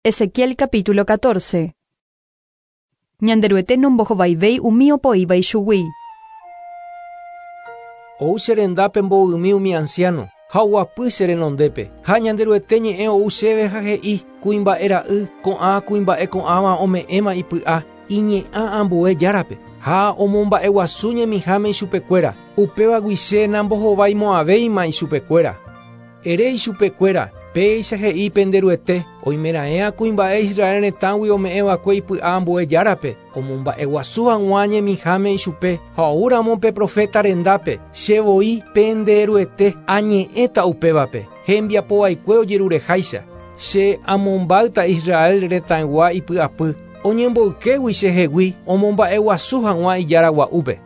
Ezequiel capítulo 14. Ñanderuete nombohovaivéi umi opoíva ichugui. Ou che rendápe mbovymi umi ansiáno, ha oguapy che renondépe. Ha Ñanderuete ñe'ẽ ou chéve ha he'i, Kuimba'e ra'y, ko'ã kuimba'e ko'ãva ome'ẽma ipy'a, iñe'ã ambue járape, ha omomba'eguasu ñemiháme ichupekuéra, upévagui che nambohovaimo'ãvéima ichupekuéra. Ere ichupekuéra, Péicha he'i pende Ruete, Oimeraẽa kuimba'e Israel retãgui ome'ẽva'ekue ipy'a ambue járape, omomba'eguasu hag̃ua ñemiháme ichupe, ha oúramo pe proféta rendápe, che voi, pende Ruete, añe'ẽta upévape, hembiapovaikue ojerureháicha. Che amombáyta Israel retãygua ipy'apy, oñemboykégui chehegui omomba'eguasu hag̃ua ijára gua'úpe.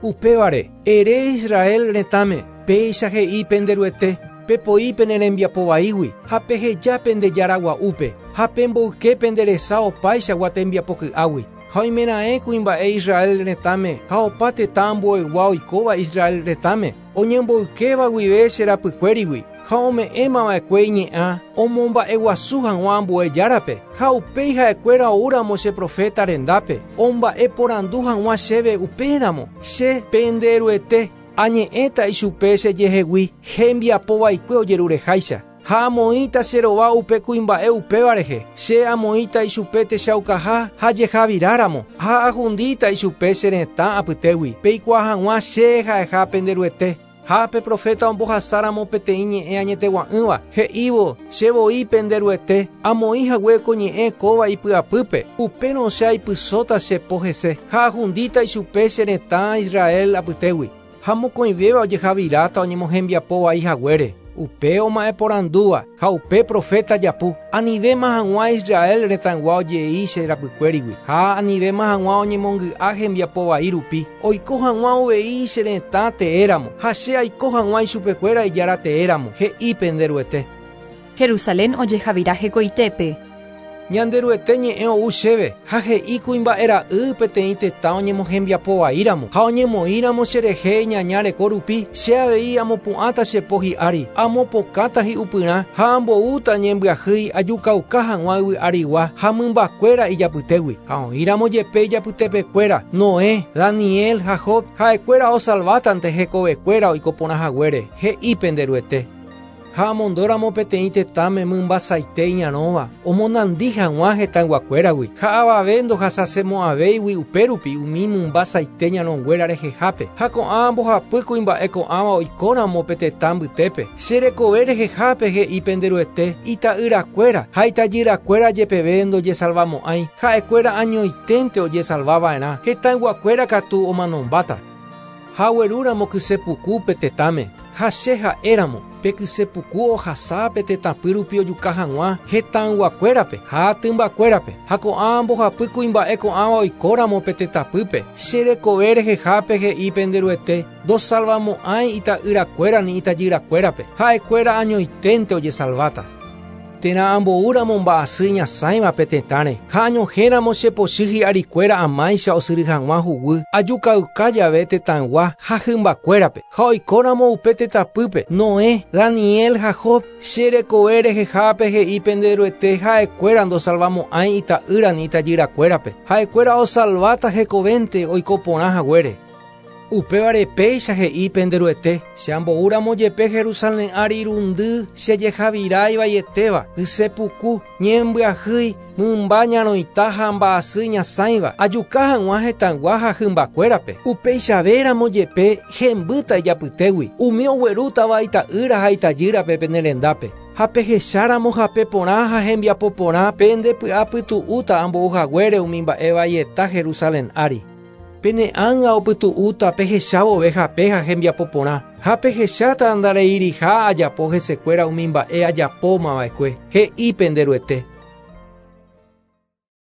Upévare, ere Israel retãme, Péicha he'i pende Ruete, Pepoi pene rembiapo vaígui, ha peheja pende jára gua'úpe, ha pemboyke pende resa opaichagua tembiapo ky'águi. Ha oimeraẽ kuimba'e Israel retãme ha opa tetã ambueygua oikóva Israel retãme, oñemboykéva guive che rapykuérigui, ha ome'ẽma va'ekue iñe'ã omomba'eguasu hag̃ua ambue járape, ha upéi ha'ekuéra oúramo che proféta rendápe, omba'eporandu hag̃ua chéve upéramo, che, pende Ruete, añe'ẽta ichupe chejehegui hembiapo vaikue ojerureháicha, ha amoĩta che rova upe kuimba'e upéva rehe, che amoĩta ichupe techaukaha ha jehaviráramo, ha ahundíta ichupe che retã apytégui, peikuaa hag̃ua che ha'eha pende Ruete. Ha pe proféta ombohasáramo peteĩ ñe'ẽ añetegua'ỹva, he'ívo, Che voi pende Ruete, amoĩ hague ko ñe'ẽ kóva ipy'apýpe, upérõ che aipysóta che po hese, ha ahundíta ichupe che retã Israel apytégui. Ha mokõivéva ojehaviráta oñemohembiapo vai haguére, upe oma'ẽporandúva ha upe proféta japu, anivéma hag̃ua Israel retãygua ojei che rapykuérigui, ha anivéma hag̃ua oñemongy'a hembiapo vai rupi, oiko hag̃ua uvei che retã teéramo, ha che aiko hag̃ua ichupekuéra Ijára teéramo, he'i pende Ruete. Jerusalén ojehavira hekoitépe. Ñanderuete ñe'ẽ ou chéve, ha he'i kuimba'e ra'y peteĩ tetã oñemohembiapo vaíramo, ha oñemoĩramo cherehe iñaña reko rupi, che avei amopu'ãta che po hi'ári, amopokãta hi'upyrã, ha amboúta ñembyahýi ajukauka hag̃ua yvy arigua ha mymbakuéra ijapytégui. Ha oĩramo jepe ijapytepekuéra, Noé, Daniel ha Job, ha'ekuéra osalvátante hekovekuéra oiko porã haguére, he'i pende Ruete. Ha amondóramo peteĩ tetãme mymba saite iñarõva, omonandi hag̃ua hetãyguakuéragui, ha avave ndohasasemo'ãvéigui upérupi umi mymba saite ñarõnguéra rehehápe, ha ko'ã mbohapy kuimba'e ko'ãva oikóramo pe tetã mbytépe, che rekove rehehápe he'i pende Ruete, ita'yrakuéra ha itajyrakuéra jepeve ndojesalvamo'ãi, ha'ekuéra añoiténte ojesalvava'erã, hetãyguakuéra katu omanombáta. Ha aguerúramo kyse puku pe tetãme, ha che ha'éramo, pe kyse puku ohasa pe tetãpy rupi ojuka hag̃ua hetãyguakuérape ha tymbakuérape, ha ko'ã mbohapy kuimba'e ko'ãva oikóramo pe tetãpýpe, che rekove rehehápe he'i pende Ruete, ndosalvamo'ãi ita'yrakuéra ni itajyrakuérape, ha'ekuéra añoiténte ojesalváta. Térã amboúramo mba'asy iñasãiva pe tetãre, ha añohẽramo che pochy hi'arikuéra amáicha osyry hag̃ua huguy, ajukauka jave tetãygua ha hymbakuérape, ha oikóramo upe tetãpýpe, Noé, Daniel ha Job, che rekove rehehápe he'i pende Ruete ha'ekuéra ndosalvamo'ãi ita'ýra ni itajyrakuérape, ha'ekuéra osalváta hekovénte oiko porã haguére. Upévare péicha he'i pende Ruete, Che ambou ramo jepe Jerusalén ári irundy che jehavira ivaietéva, kyse puku, ñembyahýi, mymba ñarõita ha mba'asy ñasãiva, ajuka hag̃ua hetãygua ha hymbakuérape. Upeichave ramo jepe hembýta ijapytégui, umi oguerútava ita'ýra ha itajýrape pene rendápe. Ha pehecha ramo hape porã ha hembiapo porã, pende py'apytu'úta ambou haguére umi mba'e vaieta Jerusalén ári. Pene ánga opytu'úta pehecha vove hape ha hembiapo porã, ha pehecháta ndareiriha ajapo hesekuéra umi mba'e ajapóma va'ekue, he'i pende Ruete.